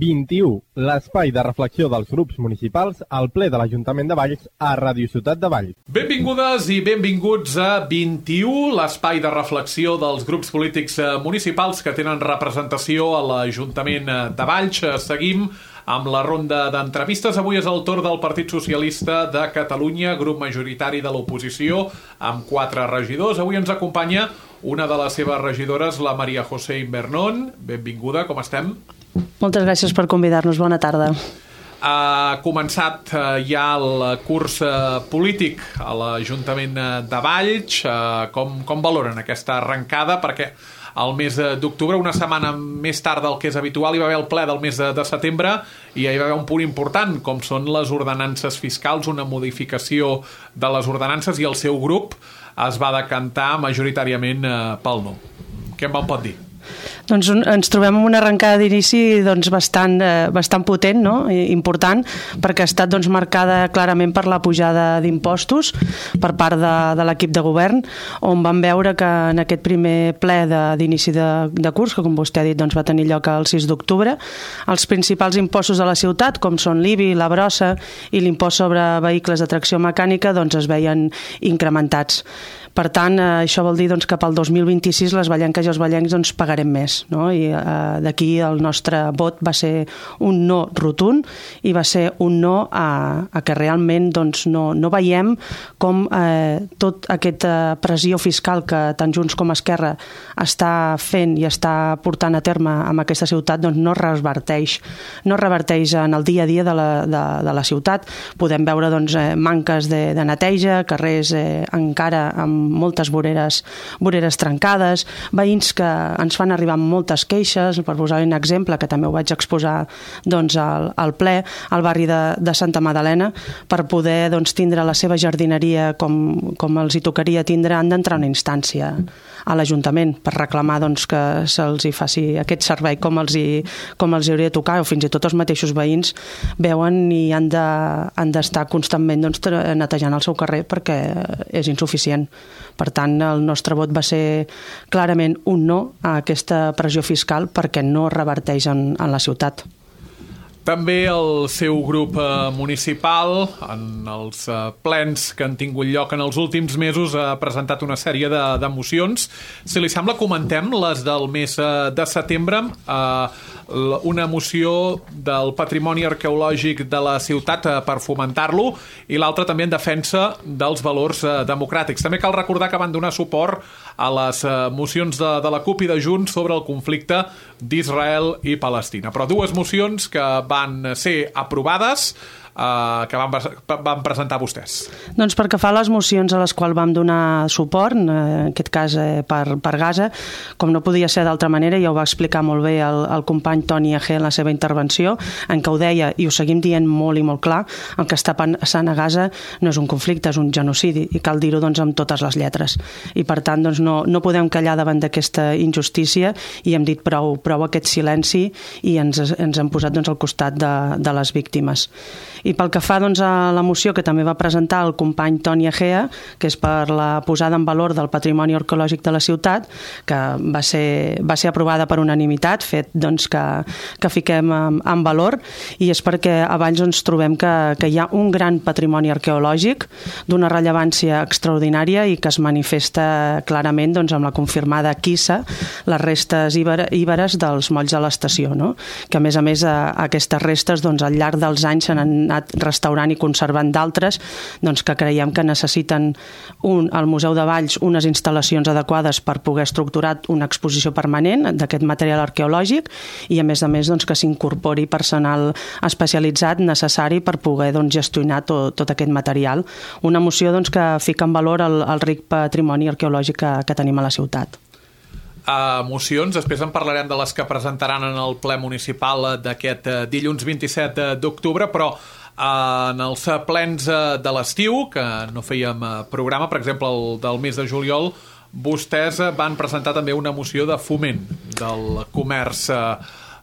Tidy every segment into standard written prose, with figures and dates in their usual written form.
21, l'espai de reflexió dels grups municipals al ple de l'Ajuntament de Valls a Ràdio Ciutat de Valls. Benvingudes i benvinguts a 21, l'espai de reflexió dels grups polítics municipals que tenen representació a l'Ajuntament de Valls. Seguim amb la ronda d'entrevistes. Avui és el torn del Partit Socialista de Catalunya, grup majoritari de l'oposició, amb 4 regidors. Avui ens acompanya una de les seves regidores, la Maria José Invernón. Benvinguda, com estem? Moltes gràcies per convidar-nos. Bona tarda. Ha començat ja el curs polític a l'Ajuntament de Valls. Com valoren aquesta arrencada? Perquè el mes d'octubre, una setmana més tard del que és habitual, hi va haver el ple del mes de setembre i hi va haver un punt important, com són les ordenances fiscals, una modificació de les ordenances, i el seu grup es va decantar majoritàriament pel no. Què em pot dir? Doncs ens trobem amb una arrencada d'inici bastant potent, no? Important, perquè ha estat marcada clarament per la pujada d'impostos per part de l'equip de govern, on vam veure que en aquest primer ple d'inici de curs, que com vostè ha dit va tenir lloc el 6 d'octubre, els principals impostos de la ciutat, com són l'IBI, la brossa i l'impost sobre vehicles de tracció mecànica, es veien incrementats. Per tant, això vol dir que pel 2026 les vallenques i els vallencs pagarem més, no? I d'aquí el nostre vot va ser un no rotund i va ser un no a que realment no veiem com tota aquesta pressió fiscal que tant Junts com Esquerra està fent i està portant a terme amb aquesta ciutat no reverteix en el dia a dia de la ciutat. Podem veure manques de neteja, carrers encara amb moltes voreres trencades, veïns que ens fan arribar moltes queixes. Per posar un exemple, que també ho vaig exposar al ple, al barri de Santa Madalena, per poder tindre la seva jardineria com els hi tocaria tindre, han d'entrar una instància a l'Ajuntament per reclamar que se'ls hi faci aquest servei com els hi hauria de tocar, o fins i tot els mateixos veïns veuen i han d'estar constantment netejant el seu carrer perquè és insuficient. Per tant, el nostre vot va ser clarament un no a aquesta pressió fiscal perquè no reverteix en la ciutat. També el seu grup municipal, en els plens que han tingut lloc en els últims mesos, ha presentat una sèrie de mocions. Si li sembla, comentem les del mes de setembre. Una moció del patrimoni arqueològic de la ciutat per fomentar-lo i l'altra també en defensa dels valors democràtics. També cal recordar que van donar suport a les mocions de la CUP i de Junts sobre el conflicte d'Israel i Palestina. Però 2 mocions que van ser aprovades, que van presentar vostès. Doncs perquè fa les mocions a les quals vam donar suport, en aquest cas per Gaza, com no podia ser d'altra manera, ja ho va explicar molt bé el company Toni Agé en la seva intervenció, en què ho deia, i ho seguim dient molt i molt clar, el que està passant a Gaza no és un conflicte, és un genocidi, i cal dir-ho amb totes les lletres. I per tant no podem callar davant d'aquesta injustícia i hem dit prou aquest silenci i ens hem posat al costat de les víctimes. I pel que fa a la moció que també va presentar el company Toni Agea, que és per la posada en valor del patrimoni arqueològic de la ciutat, que va ser aprovada per unanimitat, fet que fiquem en valor, i és perquè a Valls trobem que hi ha un gran patrimoni arqueològic d'una rellevància extraordinària i que es manifesta clarament amb la confirmada quissa, les restes íberes dels molls de l'estació, no? Que a més aquestes restes al llarg dels anys s'han anat restaurant i conservant d'altres que creiem que necessiten al Museu de Valls unes instal·lacions adequades per poder estructurar una exposició permanent d'aquest material arqueològic i a més que s'incorpori personal especialitzat necessari per poder gestionar tot aquest material. Una moció que fica en valor el ric patrimoni arqueològic que tenim a la ciutat. Mocions, després en parlarem de les que presentaran en el ple municipal d'aquest dilluns 27 d'octubre, però en els plens de l'estiu, que no fèiem programa, per exemple el del mes de juliol, vostès van presentar també una moció de foment del comerç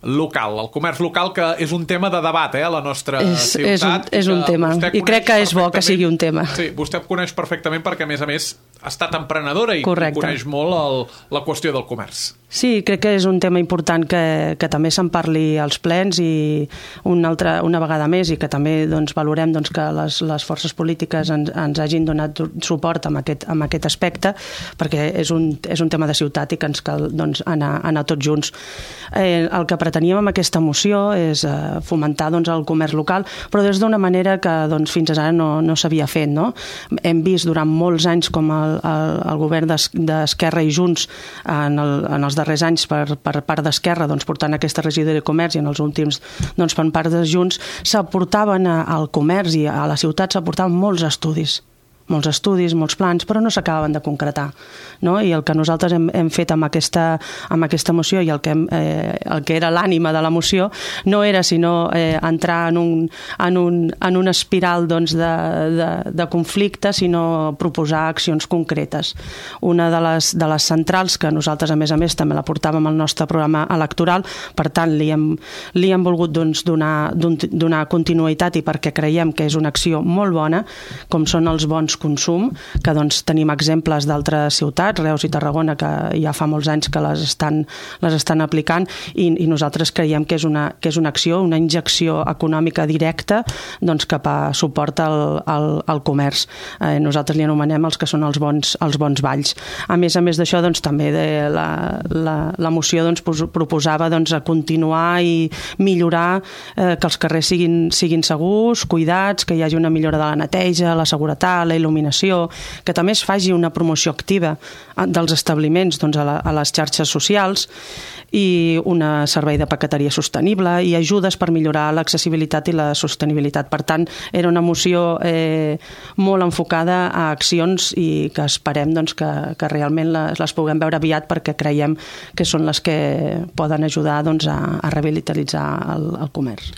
local. El comerç local, que és un tema de debat a la nostra ciutat. És un tema, i crec que és bo que sigui un tema. Sí, vostè ho coneix perfectament perquè, a més, ha estat emprenedora i coneix molt la qüestió del comerç. Sí, crec que és un tema important que també se'n parli als plens i una vegada més, i que també valorem que les forces polítiques ens hagin donat suport amb aquest aspecte, perquè és un tema de ciutat i que ens cal anar tots junts. El que preteníem amb aquesta moció és fomentar el comerç local, però des d'una manera que fins ara no s'havia fet. No? Hem vist durant molts anys com el govern d'Esquerra i Junts en els darrers anys per part d'Esquerra portant aquesta regidoria de comerç, i en els últims per part de Junts s'aportaven al comerç i a la ciutat s'aportaven molts estudis, molts plans, però no s'acabaven de concretar. No? I el que nosaltres hem fet amb aquesta moció, i el que era l'ànima de la moció, no era sinó entrar en una espiral de conflicte, sinó proposar accions concretes. Una de les centrals, que nosaltres a més també la portàvem al nostre programa electoral, per tant li hem volgut donar continuïtat, i perquè creiem que és una acció molt bona, com són els bons consum, que tenim exemples d'altres ciutats, Reus i Tarragona, que ja fa molts anys que les estan aplicant, i nosaltres creiem que és una acció, una injecció econòmica directa cap a suport al comerç. Nosaltres li anomenem els que són els bons valls. A més d'això, també la moció proposava continuar i millorar, que els carrers siguin segurs, cuidats, que hi hagi una millora de la neteja, la seguretat, la il·luminació, que també es faci una promoció activa dels establiments a les xarxes socials, i un servei de paqueteria sostenible i ajudes per millorar l'accessibilitat i la sostenibilitat. Per tant, era una moció molt enfocada a accions, i que esperem que realment les puguem veure aviat, perquè creiem que són les que poden ajudar a revitalitzar el comerç.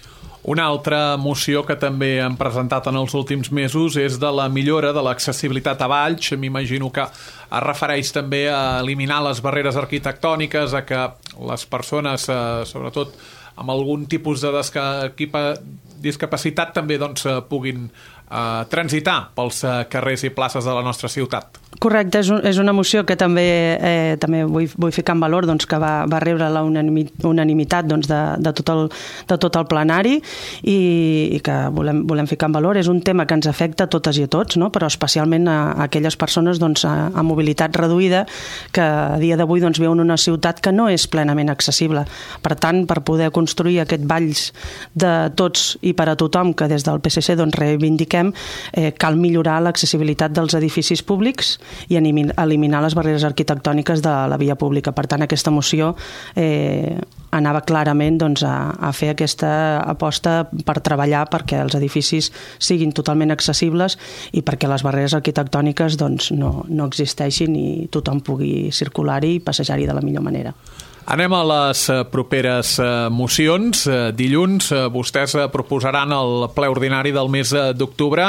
Una altra moció que també han presentat en els últims mesos és de la millora de l'accessibilitat a Valls. M'imagino que es refereix també a eliminar les barreres arquitectòniques, a que les persones, sobretot amb algun tipus de discapacitat, també puguin transitar pels carrers i places de la nostra ciutat. Correcte, és una moció que també vull ficar en valor que va rebre la unanimitat de tot el plenari, i que volem ficar en valor. És un tema que ens afecta a totes i a tots, no? Però especialment a aquelles persones amb mobilitat reduïda, que a dia d'avui viuen en una ciutat que no és plenament accessible. Per tant, per poder construir aquest Valls de tots i per a tothom, que des del PSC reivindiquem, cal millorar l'accessibilitat dels edificis públics i eliminar les barreres arquitectòniques de la via pública. Per tant, aquesta moció anava clarament a fer aquesta aposta per treballar perquè els edificis siguin totalment accessibles i perquè les barreres arquitectòniques no existeixin i tothom pugui circular-hi i passejar-hi de la millor manera. Anem a les properes mocions. Dilluns vostès proposaran al ple ordinari del mes d'octubre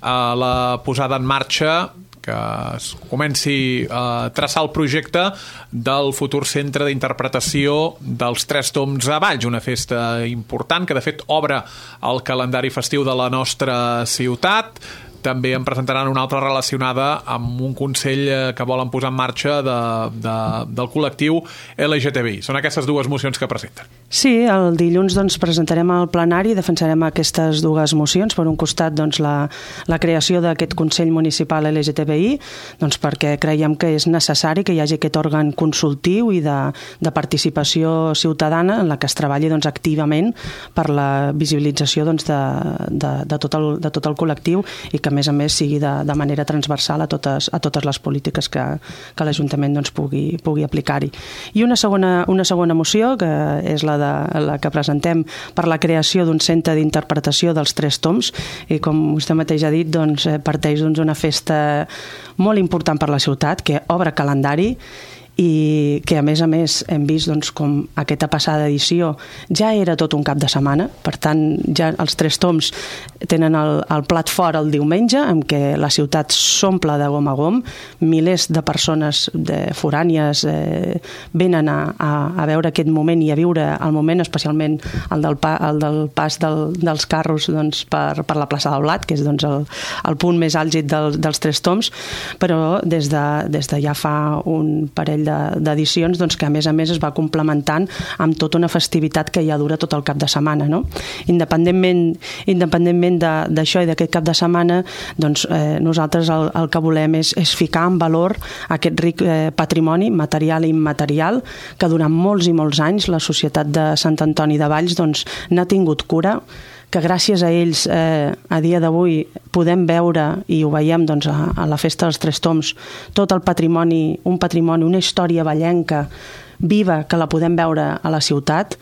la posada en marxa, que es comenci a traçar el projecte del futur centre d'interpretació dels Tres Tombs a Valls, una festa important que de fet obre el calendari festiu de la nostra ciutat. També en presentaran una altra relacionada amb un consell que volen posar en marxa del col·lectiu LGTBI. Són aquestes dues mocions que presenten. Sí, el dilluns presentarem al plenari i defensarem aquestes dues mocions. Per un costat, la creació d'aquest Consell Municipal LGTBI, perquè creiem que és necessari que hi hagi aquest òrgan consultiu i de participació ciutadana en la que es treballi activament per la visibilització de tot el col·lectiu i que a més sigui de manera transversal a totes les polítiques que l'Ajuntament pugui aplicar-hi. I una segona moció, que és la que presentem per la creació d'un centre d'interpretació dels Tres Tombs, i com vostè mateix ha dit, parteix d'una festa molt important per la ciutat, que obre calendari i que a més hem vist doncs, com aquesta passada edició ja era tot un cap de setmana, per tant ja els 3 toms tenen el plat fort el diumenge, en què la ciutat s'omple de gom a gom, milers de persones forànies venen a veure aquest moment i a viure el moment, especialment el del pas dels carros doncs, per la plaça del Blat, que és doncs, el punt més àlgid dels 3 toms, però des de ja fa un parell d'edicions doncs, que a més es va complementant amb tota una festivitat que ja dura tot el cap de setmana, no? Independentment d'això i d'aquest cap de setmana, doncs, nosaltres el que volem és ficar en valor aquest ric patrimoni material i immaterial que durant molts i molts anys la societat de Sant Antoni de Valls doncs, n'ha tingut cura, que gràcies a ells a dia d'avui podem veure, i ho veiem doncs, a la Festa dels 3 Toms, tot el patrimoni, una història vallenca viva que la podem veure a la ciutat,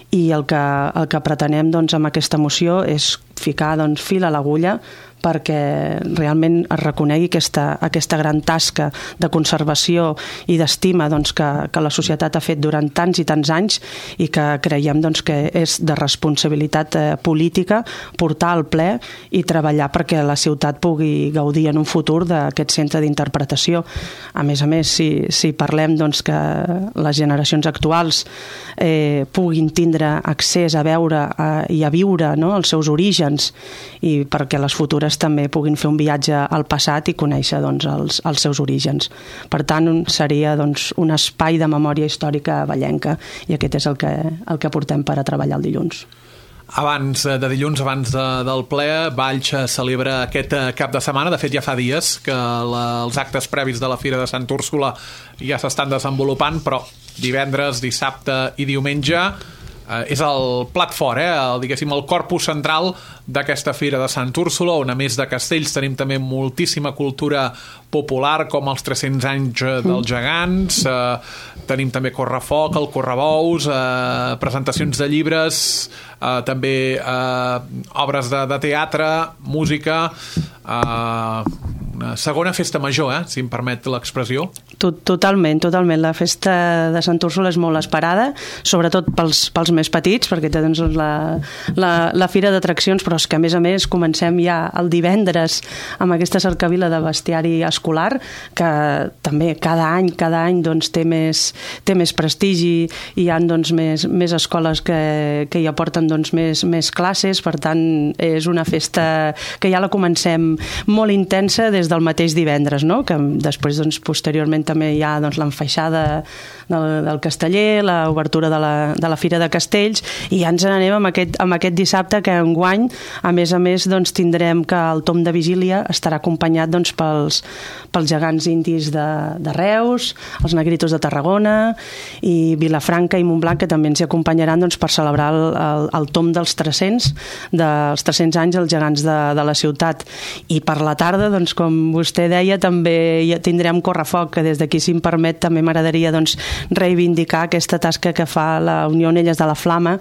i el que pretenem doncs, amb aquesta moció és ficar doncs, fil a l'agulla perquè realment es reconegui aquesta gran tasca de conservació i d'estima doncs, que la societat ha fet durant tants i tants anys i que creiem doncs, que és de responsabilitat política portar al ple i treballar perquè la ciutat pugui gaudir en un futur d'aquest centre d'interpretació. A més, si parlem doncs, que les generacions actuals puguin tindre accés a veure i a viure no, els seus orígens i perquè les futures també puguin fer un viatge al passat i conèixer doncs, els seus orígens. Per tant, seria doncs, un espai de memòria històrica vallenca i aquest és el que portem per a treballar el dilluns. Abans de dilluns, abans del ple, Valls celebra aquest cap de setmana. De fet, ja fa dies que els actes previs de la Fira de Sant Úrsula ja s'estan desenvolupant, però divendres, dissabte i diumenge és el plat fort, diguéssim, el corpus central d'aquesta Fira de Sant Úrsula, on a més de castells tenim també moltíssima cultura popular, com els 300 anys dels gegants, tenim també correfoc, el correbous, presentacions de llibres, també obres de teatre, música, una segona festa major, si em permet l'expressió. Totalment. La festa de Sant Úrsula és molt esperada, sobretot pels més petits, perquè té doncs, la fira d'atraccions, però és que a més comencem ja el divendres amb aquesta cercavila de bestiari escolar, que també cada any doncs, té més prestigi, i hi ha doncs, més escoles que hi aporten doncs, més classes, per tant és una festa que ja la comencem molt intensa des del mateix divendres, no? Que després doncs, posteriorment també hi ha doncs, l'enfaixada del casteller, l'obertura de la Fira de Castells, i ja ens n'anem amb aquest dissabte, que enguany a més doncs, tindrem que el tom de vigília estarà acompanyat doncs, pels gegants indis de Reus, els negritos de Tarragona i Vilafranca i Montblanc, que també ens hi acompanyaran doncs, per celebrar el tom dels 300 anys els gegants de la ciutat. I per la tarda, doncs, com vostè deia, també ja tindrem correfoc, que des d'aquí, si em permet, també m'agradaria doncs, reivindicar aquesta tasca que fa la Unió Onelles de la Flama,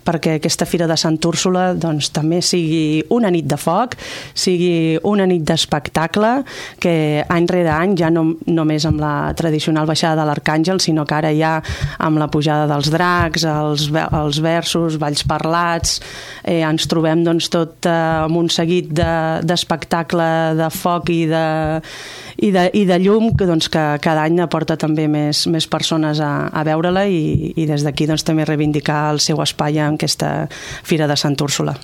perquè aquesta Fira de Sant Úrsula doncs, també sigui una nit de foc, sigui una nit d'espectacle, que any rere any, ja no només amb la tradicional baixada de l'Arcàngel, sinó que ara ja amb la pujada dels dracs, els versos, balls parlats, ens trobem doncs, tot amb un seguit d'espectacle de foc i de llum doncs, que cada any aporta també més persones a veure-la, i des d'aquí doncs, també reivindicar el seu espai en aquesta Fira de Sant Úrsula.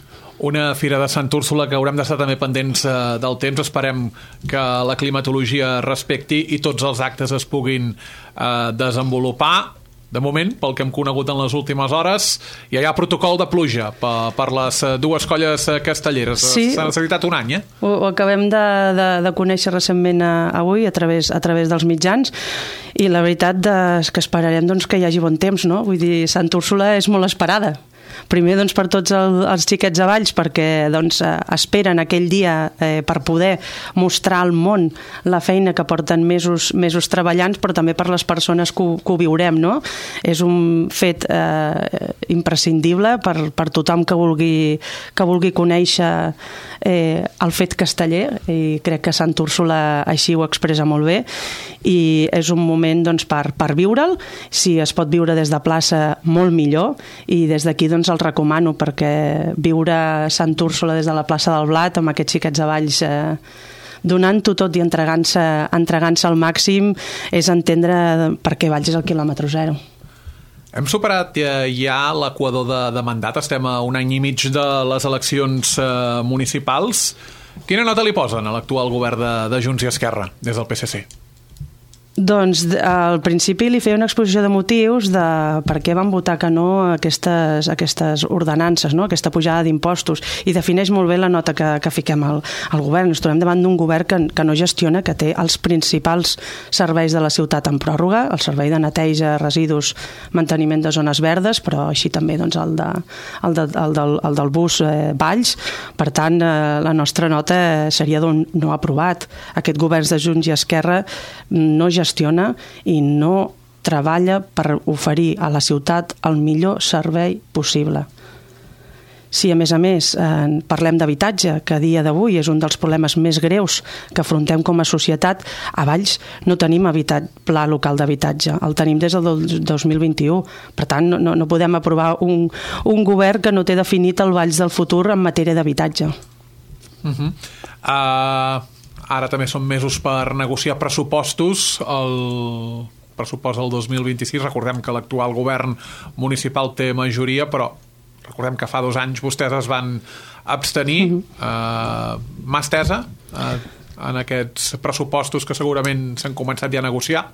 Una Fira de Sant Úrsula que haurem d'estar també pendents del temps. Esperem que la climatologia respecti i tots els actes es puguin desenvolupar. De moment, pel que hem conegut en les últimes hores, ja hi ha protocol de pluja per les dues colles castelleres. Sí. S'ha necessitat un any, Ho acabem de conèixer recentment avui a través dels mitjans, i la veritat és que esperarem doncs, que hi hagi bon temps, no? Vull dir, Sant Úrsula és molt esperada. Primer, doncs, per tots els xiquets de Valls, perquè doncs, esperen aquell dia per poder mostrar al món la feina que porten mesos treballant, però també per les persones que ho viurem, no? És un fet imprescindible per tothom que vulgui conèixer el fet casteller, i crec que Sant Úrsula així ho expressa molt bé, i és un moment doncs, per viure'l. Si es pot viure des de plaça, molt millor, i des d'aquí doncs, el recomano, perquè viure Sant Úrsula des de la plaça del Blat amb aquests xiquets de Valls donant-ho tot i entregant-se al màxim és entendre per què Valls és el quilòmetre zero. Hem superat ja l'equador de mandat, estem a un any i mig de les eleccions municipals. Quina nota li posen a l'actual govern de Junts i Esquerra des del PSC? Doncs al principi li feia una exposició de motius de per què van votar que no aquestes ordenances, no? Aquesta pujada d'impostos, i defineix molt bé la nota que fiquem al govern. Ens trobem davant d'un govern que no gestiona, que té els principals serveis de la ciutat en pròrroga, el servei de neteja, residus, manteniment de zones verdes, però així també doncs, el del bus Valls. Per tant, la nostra nota seria d'un no aprovat. Aquest govern de Junts i Esquerra no gestiona i no treballa per oferir a la ciutat el millor servei possible. Si a més parlem d'habitatge, que a dia d'avui és un dels problemes més greus que afrontem com a societat, a Valls no tenim pla local d'habitatge, el tenim des del 2021. Per tant, no podem aprovar un govern que no té definit el Valls del futur en matèria d'habitatge. Ara també són mesos per negociar pressupostos, el pressupost del 2026. Recordem que l'actual govern municipal té majoria, però recordem que fa 2 anys vostès es van abstenir. Mà estesa en aquests pressupostos que segurament s'han començat ja a negociar?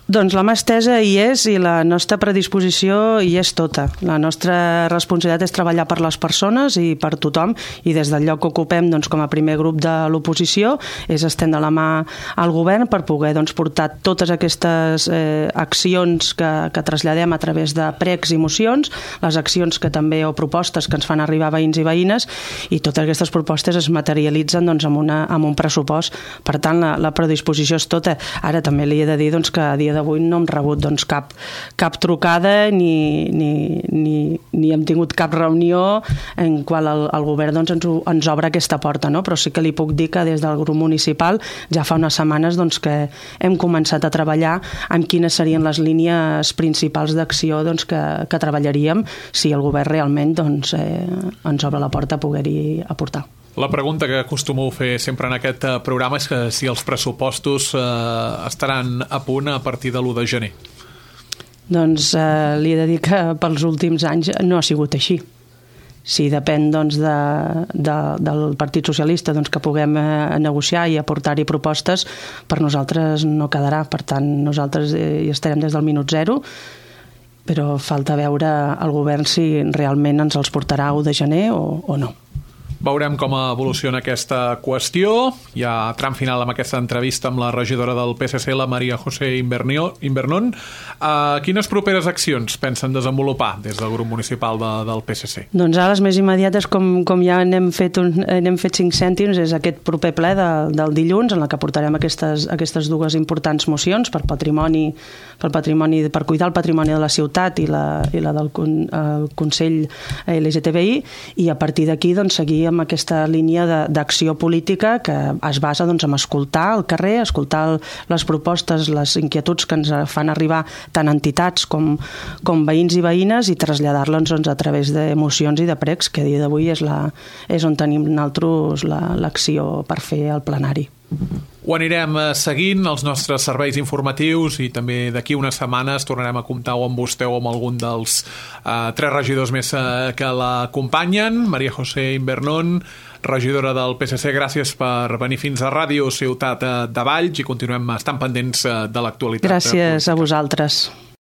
Doncs la mà estesa hi és i la nostra predisposició hi és tota. La nostra responsabilitat és treballar per les persones i per tothom, i des del lloc que ocupem doncs, com a primer grup de l'oposició és estendre la mà al govern per poder doncs, portar totes aquestes accions que traslladem a través de pregs i mocions, les accions que també o propostes que ens fan arribar veïns i veïnes, i totes aquestes propostes es materialitzen doncs, amb un pressupost. Per tant, la predisposició és tota. Ara també li he de dir doncs, que a dia d'avui no hem rebut doncs, cap trucada ni hem tingut cap reunió en qual el govern doncs, ens obre aquesta porta, no? Però sí que li puc dir que des del grup municipal ja fa unes setmanes doncs, que hem començat a treballar en quines serien les línies principals d'acció doncs, que treballaríem si el govern realment doncs, ens obre la porta a poder-hi aportar. La pregunta que acostumeu fer sempre en aquest programa és que si els pressupostos estaran a punt a partir de l'1 de gener. Doncs li he de dir que pels últims anys no ha sigut així. Si depèn doncs, del Partit Socialista doncs, que puguem negociar i aportar-hi propostes, per nosaltres no quedarà. Per tant, nosaltres hi estarem des del minut zero, però falta veure el govern si realment ens els portarà 1 de gener o no. Veurem com evoluciona aquesta qüestió. Hi ha tram final amb aquesta entrevista amb la regidora del PSC, la María José Invernón. Quines properes accions pensen desenvolupar des del grup municipal del PSC? Doncs ara les més immediates, com ja n'hem fet 5 cèntims, és aquest proper ple del dilluns, en la que portarem aquestes 2 importants mocions per patrimoni, per cuidar el patrimoni de la ciutat i la del Consell LGTBI, i a partir d'aquí doncs, seguir amb aquesta línia d'acció política que es basa doncs, en escoltar el carrer, escoltar les propostes, les inquietuds que ens fan arribar tant entitats com veïns i veïnes, i traslladar-les doncs, a través de mocions i de pregs, que a dia d'avui és on tenim nosaltres l'acció per fer el plenari. Ho anirem seguint, els nostres serveis informatius, i també d'aquí unes setmanes tornarem a comptar o amb vostè o amb algun dels 3 regidors més que l'acompanyen. María José Invernón, regidora del PSC, gràcies per venir fins a Ràdio Ciutat de Valls, i continuem estant pendents de l'actualitat. Gràcies a vosaltres.